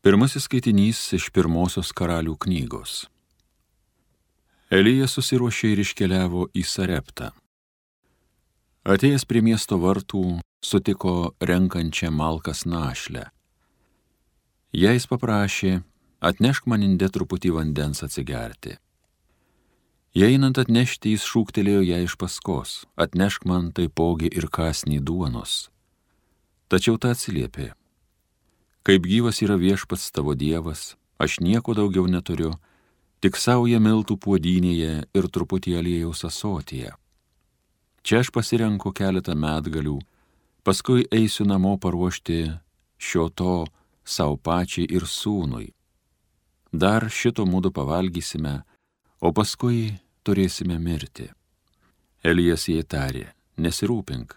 Pirmasis skaitinys iš pirmosios Karalių knygos. Elijas susiruošė ir iškeliavo į Sareptą. Atėjęs prie miesto vartų, sutiko renkančią malkas našlę. Jais paprašė, atnešk man inde truputį vandens atsigerti. Jei einant atnešti, jis šūktelėjo ją iš paskos, atnešk man taipogi ir kąsnį duonos. Tačiau ta atsiliepė, kaip gyvas yra viešpats tavo dievas, aš nieko daugiau neturiu, tik saują miltų puodynėje ir truputį aliejaus ąsotyje. Čia aš pasirenku keletą medgalių, paskui eisiu namo paruošti šio to sau pačiai ir sūnui. Dar šito mudu pavalgysime, o paskui turėsime mirti. Elijas jai tarė, nesirūpink,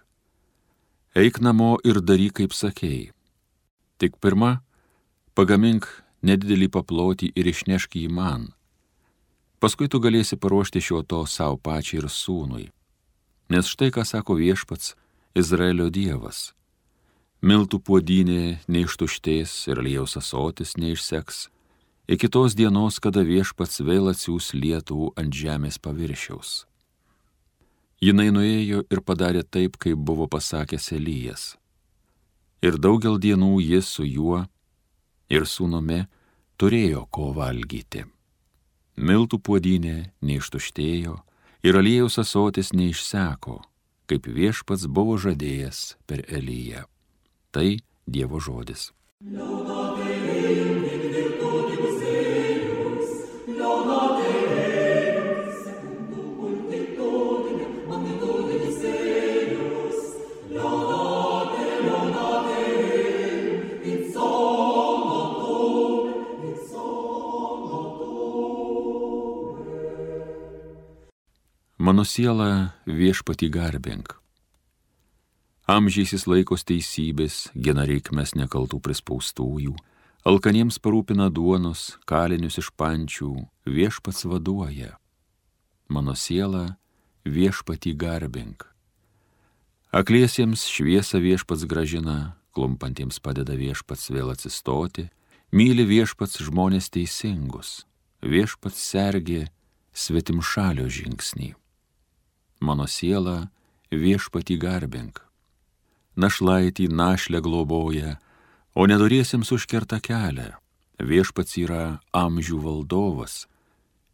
eik namo ir daryk, kaip sakei. Tik pirma, pagamink nedidelį paplotį ir išnešk jį man. Paskui tu galėsi paruošti šio to sau pačiai ir sūnui. Nes štai ką sako viešpats, Izraelio dievas. Miltų puodynė neištuštės ir aliejaus ąsotis neišseks, iki tos dienos, kada viešpats vėl atsiųs lietų ant žemės paviršiaus. Jinai nuėjo ir padarė taip, kaip buvo pasakęs Elijas. Ir daugel dienų jis su juo ir sūnumi turėjo ko valgyti. Miltų puodynė neištuštėjo ir aliejaus ąsotis neišseko, kaip viešpats buvo žadėjęs per Eliją. Tai Dievo žodis. Mano siela viešpatį garbink. Amžiais jis laikos teisybės, gina reikmes nekaltų prispaustųjų, alkaniems parūpina duonos, kalinius iš pančių, viešpats vaduoja. Mano siela viešpatį garbink. Akliesiems šviesą viešpats gražina, klumpantiems padeda viešpats vėl atsistoti, myli viešpats žmonės teisingus, viešpats sergė svetimšalio žingsnį. Mano siela viešpatį garbink. Našlaitį našlę globoja, o nedoriesiems užkerta kelią. Viešpats yra amžių valdovas,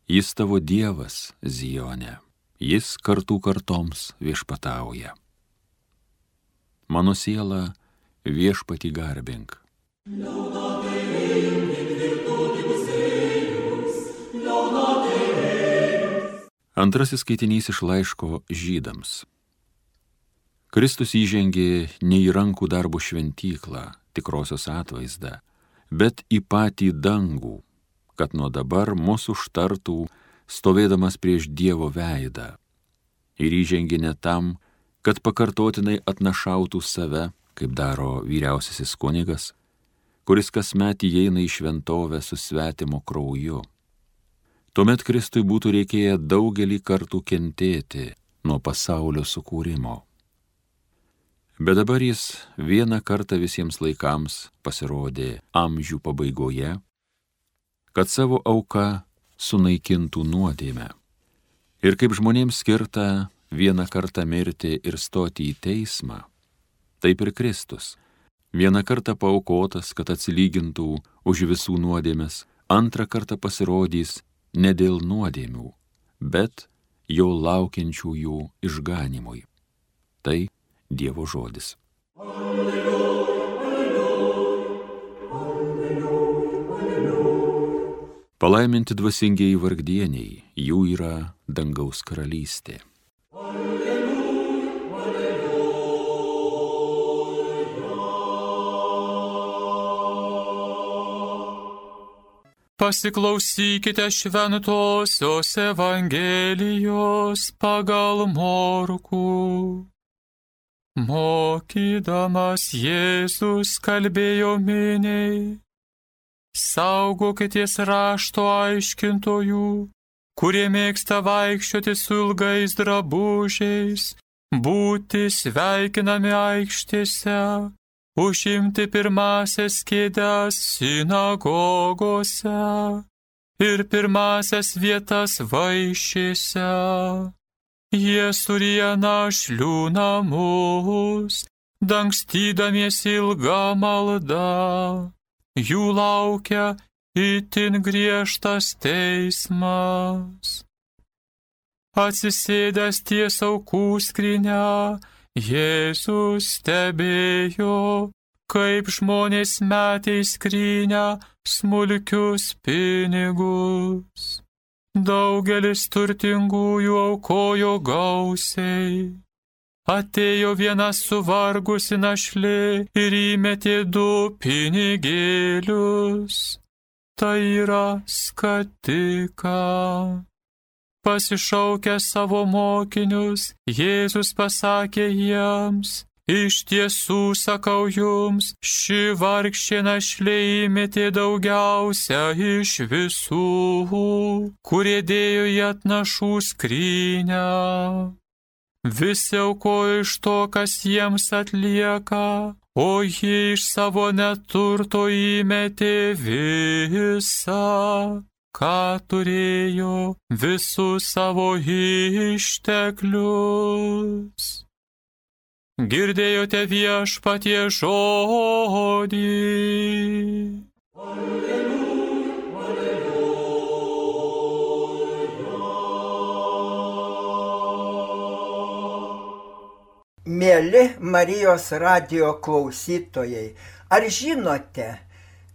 jis tavo dievas Zione, jis kartų kartoms viešpatauja. Mano siela viešpatį garbink. Antrasis skaitinys iš laiško Žydams. Kristus įžengė ne į rankų darbo šventyklą, tikrosios atvaizdą, bet į patį dangų, kad nuo dabar mūsų užtartų, stovėdamas prieš Dievo veidą. Ir įžengė ne tam, kad pakartotinai atnašautų save, kaip daro vyriausiasis kunigas, kuris kasmet įeina į šventovę su svetimo krauju. Tuomet Kristui būtų reikėję daugelį kartų kentėti nuo pasaulio sukūrimo. Bet dabar jis vieną kartą visiems laikams pasirodė amžių pabaigoje, kad savo auka sunaikintų nuodėmę. Ir kaip žmonėms skirta vieną kartą mirti ir stoti į teismą, taip ir Kristus, vieną kartą paaukotas, kad atsilygintų už visų nuodėmes, antrą kartą pasirodys ne dėl nuodėmių, bet jau laukiančiųjų išganimui. Tai Dievo žodis. Alleluja, alleluja, alleluja, alleluja. Palaiminti dvasingieji vargdieniai, jų yra dangaus karalystė. Alleluja, alleluja. Pasiklausykite šventosios Evangelijos pagal Morkų. Mokydamas Jėzus kalbėjo miniai, saugokitės rašto aiškintojų, kurie mėgsta vaikščioti su ilgais drabužiais, būti sveikinami aikštėse užimti pirmasias kėdes sinagogose ir pirmasias vietas vaišėse. Jie suryja našlių namus, dangstydamiesi ilgą maldą. Jų laukia itin griežtas teismas. Atsisėdęs ties aukų skrynia, Jėzus stebėjo, kaip žmonės metė į skrynę smulkius pinigus. Daugelis turtingųjų aukojo gausiai. Atėjo viena suvargusi našlė ir įmetė 2 pinigėlius. Tai yra skatika. Pasišaukęs savo mokinius, Jėzus pasakė jiems: iš tiesų sakau jums, ši vargšė našlė įmetė daugiausia iš visų, kurie dėjo į atnašų skrynę. Visi aukojo iš to, kas jiems atlieka, o ji iš savo neturto įmetė visą, ką turėjo, visus savo išteklius. Girdėjote Viešpatie žodį. Mieli Marijos radijo klausytojai, ar žinote,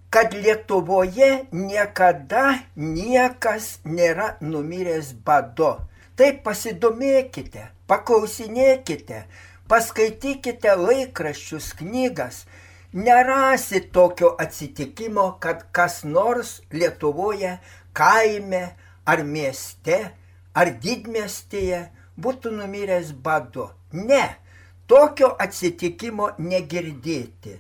kad Lietuvoje niekada niekas nėra numiręs badu? Tai pasidomėkite, paklausinėkite, paskaitykite laikraščius, knygas. Nerasit tokio atsitikimo, kad kas nors Lietuvoje, kaime ar mieste ar didmiestyje būtų numiręs badu. Ne, tokio atsitikimo negirdėti.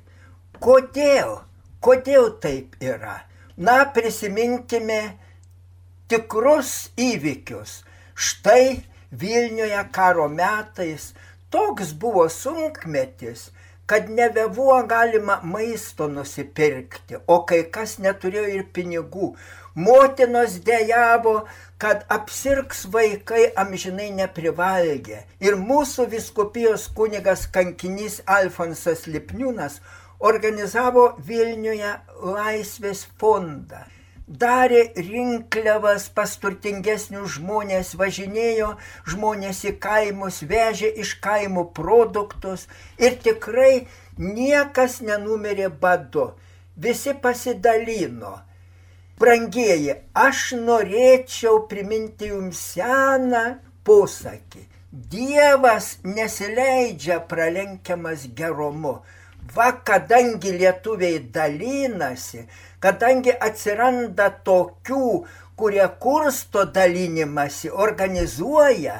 Kodėl? Kodėl taip yra? Na, prisiminkime tikrus įvykius. Štai Vilniuje karo metais toks buvo sunkmetis, kad nebebuvo galima maisto nusipirkti, o kai kas neturėjo ir pinigų. Motinos dejavo, kad apsirgs vaikai amžinai neprivalgę. Ir mūsų vyskupijos kunigas kankinys Alfonsas Lipniūnas organizavo Vilniuje Laisvės fondą. Darė rinkliavas pas turtingesnius žmonės, važinėjo žmonės į kaimus, vežė iš kaimų produktus ir tikrai niekas nenumirė badu. Visi pasidalino. Brangieji, aš norėčiau priminti jums seną posakį. Dievas nesileidžia pralenkiamas gerumu. Va, kadangi lietuviai dalinasi, kadangi atsiranda tokių, kurie kursto dalinimąsi, organizuoja,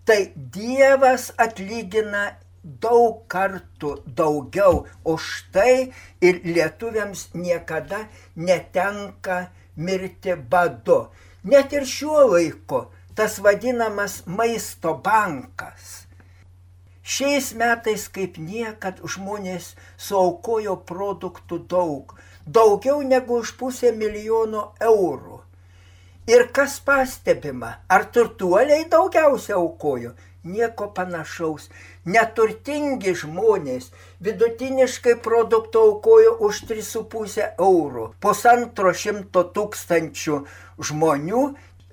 tai Dievas atlygina daug kartų daugiau. O štai ir lietuviams niekada netenka mirti badu. Net ir šiuo laiku tas vadinamas maisto bankas. Šiais metais kaip niekad žmonės suaukojo produktų daug, daugiau negu už 500 000 eurų. Ir kas pastebima, ar turtuoliai daugiausia aukojo? Nieko panašaus. Neturtingi žmonės vidutiniškai produktų aukojo už 3,5 eurų. 150 000 žmonių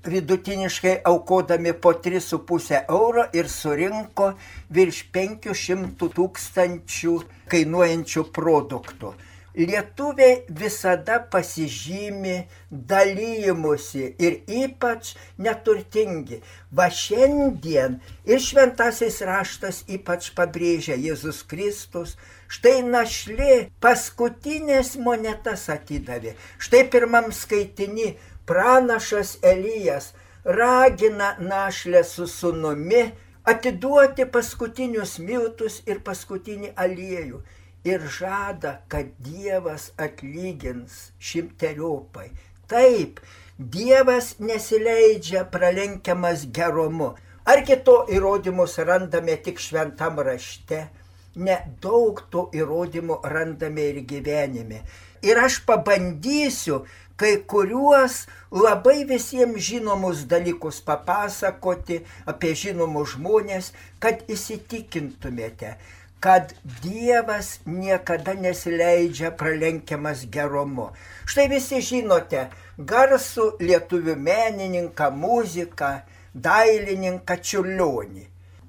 vidutiniškai aukodami po 3,5 euro ir surinko virš 500 000 kainuojančių produktų. Lietuviai visada pasižymi dalymusi ir ypač neturtingi. Va šiandien ir šventasis raštas ypač pabrėžia Jėzus Kristus. Štai našlė paskutinės monetas atidavė. Štai pirmam skaitiny pranašas Elijas ragina našlę su sūnumi atiduoti paskutinius miltus ir paskutinį aliejų ir žada, kad Dievas atlygins 100-eriopai. Taip, Dievas nesileidžia pralenkiamas gerumu. Argi to įrodymus randame tik šventam rašte? nedaug tų įrodymų randame ir gyvenime. Ir aš pabandysiu kai kuriuos labai visiems žinomus dalykus papasakoti apie žinomus žmonės, kad įsitikintumėte, kad Dievas niekada nesileidžia pralenkiamas gerumu. Štai visi žinote garsų lietuvių menininką, muziką, dailininką Čiurlionį.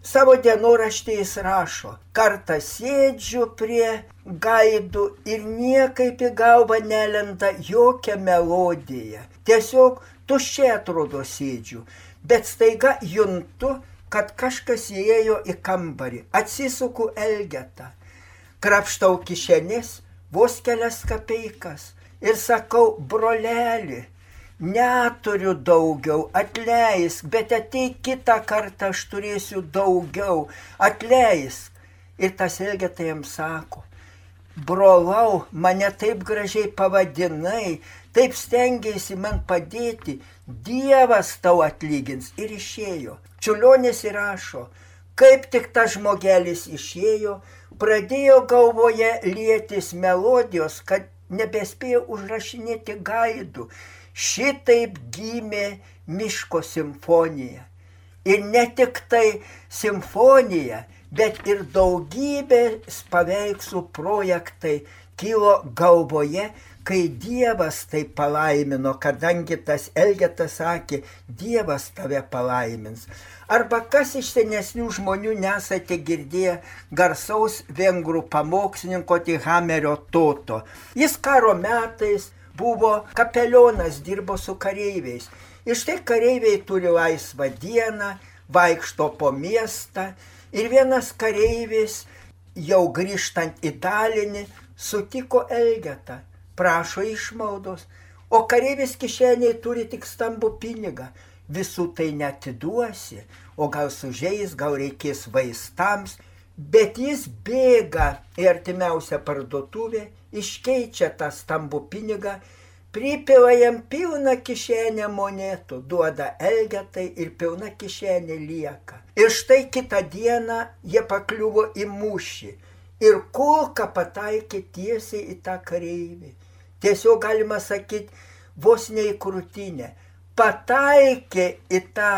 Savo dienoraštyje jis rašo: kartą sėdžiu prie gaidų ir niekaip į galvą nelenda jokia melodija. Tiesiog tuščiai atrodo sėdžiu, bet staiga juntu, kad kažkas įėjo į kambarį. Atsisuku elgetą, krapštau kišenes, vos kelias kapeikas ir sakau: broleli, neturiu daugiau, atleisk, bet ateik kitą kartą, aš turėsiu daugiau, atleisk. Ir tas elgeta jam sako: brolau, mane taip gražiai pavadinai, taip stengiasi man padėti, Dievas tau atlygins. Ir išėjo. Čiurlionis įrašo: kaip tik tas žmogelis išėjo, pradėjo galvoje lietis melodijos, kad nebespėjo užrašinėti gaidų. Šitaip gimė Miško simfonija. Ir ne tik tai simfonija, bet ir daugybės paveikslų projektai kilo galvoje, kai Dievas tai palaimino, kadangi tas elgetas sakė: Dievas tave palaimins. Arba kas iš senesnių žmonių nesate girdėję garsaus vengrų pamokslininko Tihamerio Toto. Jis karo metais buvo kapelionas, dirbo su kareiviais. Ir štai kareiviai turi laisvą dieną, vaikšto po miestą. Ir vienas kareivis, jau grįžtant į Dalinį, sutiko elgetą, prašo išmaldos. O kareivis kišeniai turi tik stambų pinigą. Visų tai neatiduosi, o gal sužeis, gal reikės vaistams. Bet jis bėga į artimiausią parduotuvę, iškeičia tą stambų pinigą, pripila jam pilną kišenę monetų, duoda elgetai ir pilna kišenė lieka. Ir štai kitą dieną jie pakliuvo į mūšį ir kulka pataikė tiesiai į tą kareivį. Tiesiog galima sakyti, vos ne į krūtinę. Pataikė į tą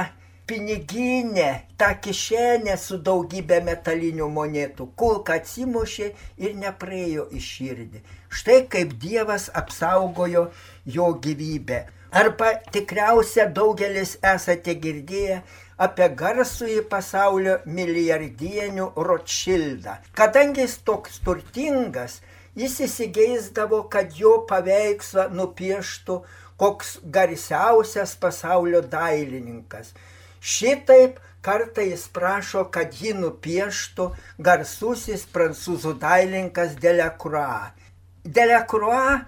piniginę, tą kišenę su daugybė metalinių monetų. Kulka atsimušė ir nepraėjo į širdį. Štai kaip Dievas apsaugojo jo gyvybę. Arba tikriausia daugelis esate girdėję apie garsųjį pasaulio milijardienių Rotšildą. Kadangi jis toks turtingas, jis įsigeisdavo, kad jo paveikslą nupieštų koks garsiausias pasaulio dailininkas. Šitaip kartą jis prašo, kad jį nupieštų garsusis prancūzų dailininkas Delacroix. Delacroix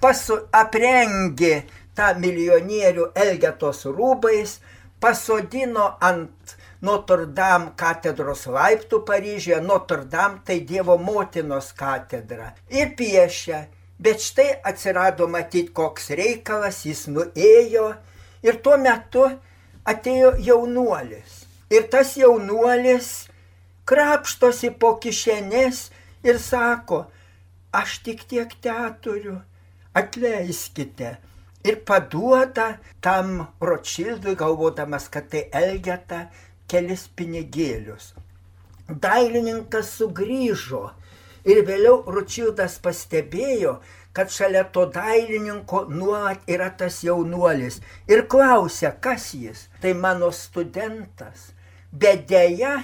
aprengė tą milijonierių elgetos rūbais, pasodino ant Notre Dame katedros laiptų Paryžiuje. Notre Dame tai Dievo motinos katedra. Ir piešia. Bet štai atsirado matyti koks reikalas, jis nuėjo ir tuo metu atėjo jaunuolis. Ir tas jaunuolis krapštosi po kišenės ir sako: aš tik tiek teturiu, atleiskite. Ir paduoda tam Rotšildui, galvodamas, kad tai elgeta, kelis pinigėlius. Dailininkas sugrįžo ir vėliau Rotšildas pastebėjo, kad šalia to dailininko nuolat yra tas jaunuolis. Ir klausia, kas jis? Tai mano studentas. Bet deja,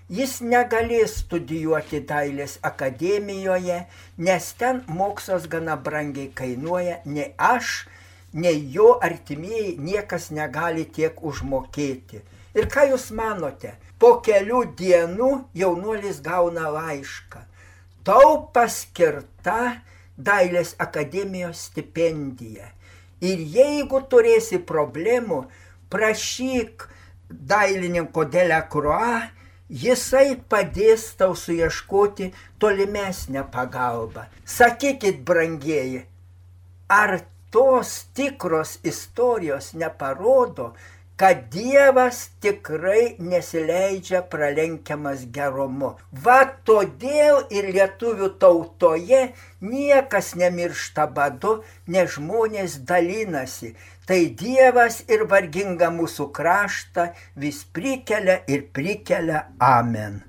jis negalės studijuoti dailės akademijoje, nes ten mokslas gana brangiai kainuoja. Nei aš, nei jo artimieji niekas negali tiek užmokėti. Ir ką jūs manote? Po kelių dienų jaunuolis gauna laišką. Tau paskirta dailės akademijos stipendija. Ir jeigu turėsi problemų, prašyk dailininko Delacroix, jisai padės tau suieškoti tolimesnę pagalbą. Sakykit, brangieji, ar tos tikros istorijos neparodo, kad Dievas tikrai nesileidžia pralenkiamas gerumu. Va todėl ir lietuvių tautoje niekas nemiršta badu, nes žmonės dalinasi. Tai Dievas ir vargingą mūsų kraštą vis prikelia ir prikelia. Amen.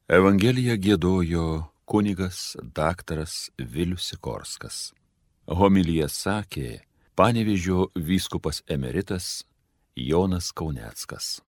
Evangeliją giedojo kunigas daktaras Vilius Sikorskas. Homiliją sakė Panevėžio vyskupas emeritas Jonas Kauneckas.